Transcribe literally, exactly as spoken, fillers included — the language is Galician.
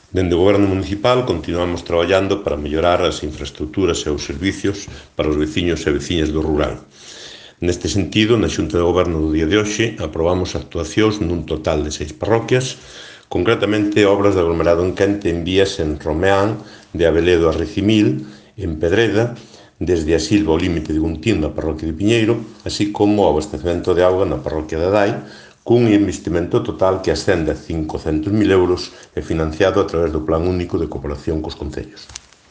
Dende o Goberno municipal continuamos traballando para mellorar as infraestructuras e os servicios para os veciños e veciñas do rural. Neste sentido, na Xunta de Goberno do día de hoxe, aprobamos actuacións nun total de seis parroquias, concretamente obras de aglomerado en quente en vías en Romeán, de Abeledo a Recimil, en Pedreda, desde a Silva ao límite de Guntín na parroquia de Piñeiro, así como o abastecemento de auga na parroquia de Adai, cun investimento total que ascende a cincocentos mil euros e financiado a través do Plan Único de Cooperación cos concellos.